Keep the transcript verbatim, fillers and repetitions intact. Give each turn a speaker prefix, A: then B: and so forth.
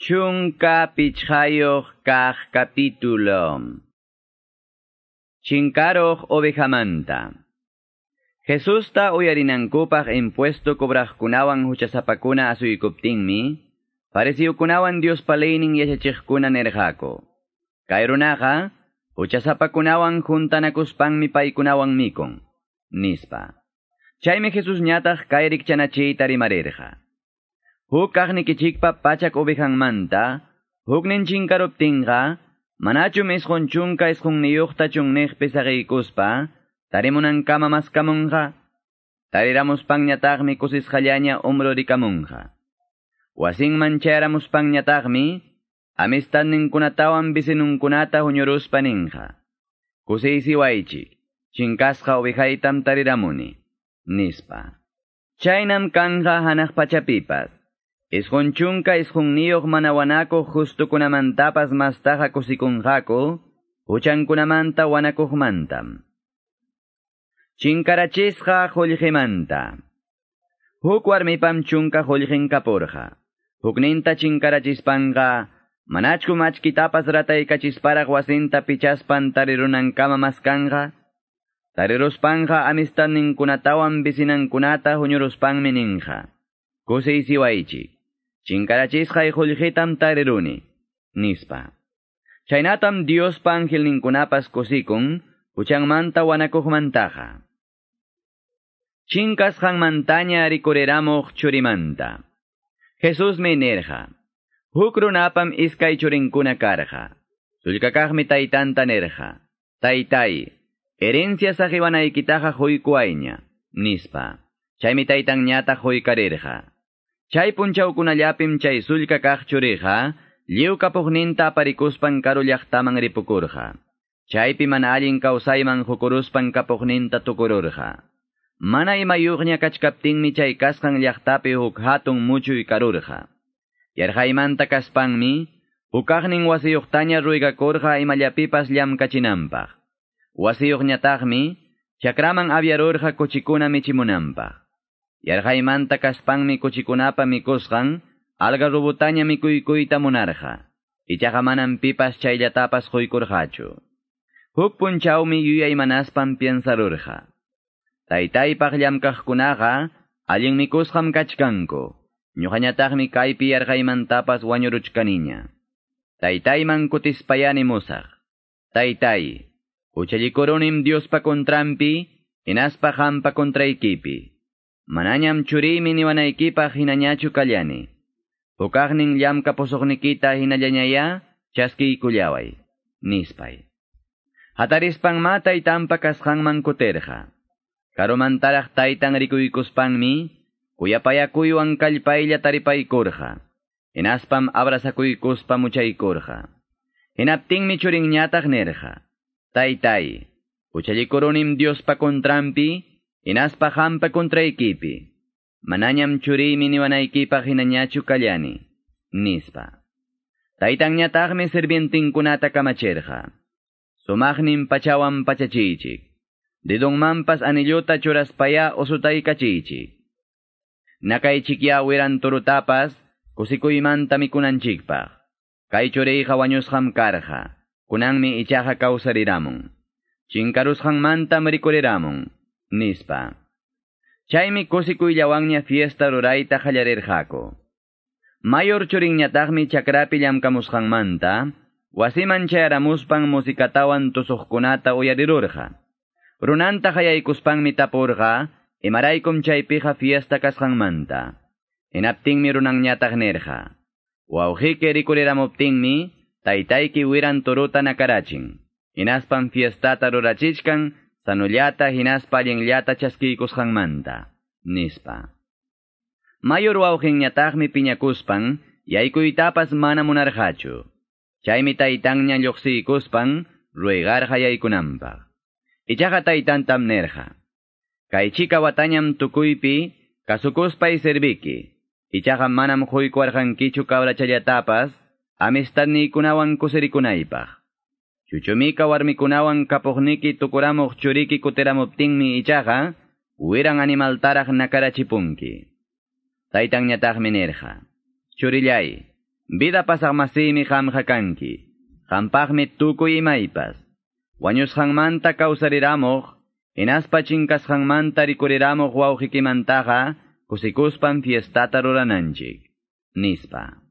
A: Chunka pichqayuq kaq capítulo. Chinkaruq ovejamanta. Jesusta uyarinankupaq impuesto cobraqkunawan huchasapakuna asuykuptinmi, fariseukunawan Diospa leynin yachachiqkuna nirqaku. Kay runaqa huchasapakunawan juntanakuspanmi paykunawan mikun, nispa. Chaymi Jesus ñataq kay rikchanachiyta rimarirqa. Huk kaqnikichikpa pachak ovejanmanta, huknin chinkaruptinqa, manachum isqun chunka isqunniyuqta chunniqpi saqiykuspa, tarimunankama maskamunqa, tariramuspanñataqmi kusisqallaña umrurikamunqa. Wasinman chayaramuspanñataqmi, amistadninkunatawan vecinunkunata huñuruspa ninqa. Kusiysiwaychik, chinkasqa ovejaytam tariramuni, nispa. Chaynam kanja hanaq pachapipas. Isqun chunka isqunniyuq mana wanakuq justukunamantapas mastaqa kusikunqaku, huchankunamanta wanakuqmantam. Chinkarachisqa qullqimanta. Huk warmipam chunka qullqin kapurqa. Hukninta chinkarachispanqa, manachkum achkitapas rataykachisparaq wasinta pichaspan tarirunankama maskanqa? Tariruspanqa amistadninkunatawan vecinankunata huñuruspanmi ninqa. Kusiysiwaychik. Chinkarachisqay qullqitam tariruni, nispa. Chaynatam Diospa angelninkunapas kusikun, huchanmanta wanakuqmantaqa. Chinkasqanmantaña rikuriramuq churimanta. Jesusmi nirqa, huk runapam iskay churinkuna karqa. Sullkakaqmi taytanta nirqa, taytay, herencia saqiwanaykitaqa quykuwayña, nispa. Chaymi taytanñataq quykarirqa. Chay punchawkunallapim chay sullka kaq churiqa, lliw kapuqninta aparikuspan karu llaqtaman ripukurqa. Chaypi mana allin kawsayman hukuruspan kapuqninta tukururqa. Mana imayuqña kachkaptinmi chay kasqan llaqtapi huk hatun muchuy karurqa. Yarqaymanta kaspanmi, hukaqnin wasiyuqtaña ruygakurqa imallapipas llamkachinanpaq. Wasiyuqñataqmi, chakraman aviarurqa kuchikuna michimunanpaq. Yarqaymanta kaspanmi kuchikunapa mikusqan, algarrobutaña mikuykuyta munarqa. Ichaqa manam pipas chayllatapas quykurqachu. Huk punchawmi yuyaymanaspan piensarurqa. Taytaypaq llamkaqkunaqa allin mikusqam kachkanku. Ñuqañataqmi kaypi yarqaymantapas wañuruchkaniña. Taytayman kutispayani musaq. Taytay, huchallikurunim Diospa contranpi, hinaspa qampa contraykipi. Manañam churiymi niwanaykipaq hinañachu kallani. Hukaqnin llamkapusuqnikita hinallañaya chaskiykullaway, nispay. Hatarispanma taytanpa kasqanman kutirqa. Karumantaraq taytan rikuykuspanmi, kuyapayakuywan kallpaylla taripaykurqa. Hinaspam abrazakuykuspa muchaykurqa. Hinaptinmi churinñataq nirqa, taytay, huchallikurunim Diospa contranpi, hinaspa qampa contraykipi. Manañam churiymi niwanaykipaq hinañachu kallani, nispa. Taytanñataqmi sirvientinkunata kamachirqa. Sumaqnin pachawan pachachiychik. Dedonmanpas anillota churaspaya usutaykachiychik. Nakaychikya wiran turutapas kusikuymanta mikunanchikpaq. Kay churiyqa wañusqam karqa. Kunanmi ichaqa kawsariramun. Chinkarusqanmantam rikuriramun, nispa. Chaymi kusikuyllawanña fiesta rurayta qallarirqaku. Mayor churinñataqmi chakrapi llamkamusqanmanta, wasiman chayaramuspan musikatawan tusuqkunata uyarirurqa. Runanta qayaykuspanmi tapurqa, imaraykum chaypiqa fiesta kasqanmanta. Hinaptinmi runanñataq nirqa, wawqiyki rikuriramuptinmi, taytayki wiran turuta nakarachin. Hinaspan fiestata rurachichkan, sanullata hinaspa allinllata chaskiykusqanmanta, nispa. Mayor wawqinñataqmi piñakuspan, yaykuytapas mana munarqachu. Chaymi taytanña lluqsiykuspan, ruegarqa yaykunanpaq. Ichaqa taytantam nirqa, kay chika watañam tukuypi, kasukuspay serviki. Ichaqa manam quykuwarqankichu cabrachallatapas, amistadniykunawan kusirikunaypaq. Chuchumika warmikunawan kapuqniki tukuramuq churiki kutiramuptinmi ichaqa, wiran animaltaraq nakarachipunki. Taytanñataqmi nirqa, churillay, Vida pasaqmasimi qamqa kanki. Qampaqmi tukuy imaypas. Wañusqanmanta kawsariramuq, hinaspa chinkasqanmanta rikuriramuq wawqikimantaqa, kusikuspan fiestata rurananchik. Nispa.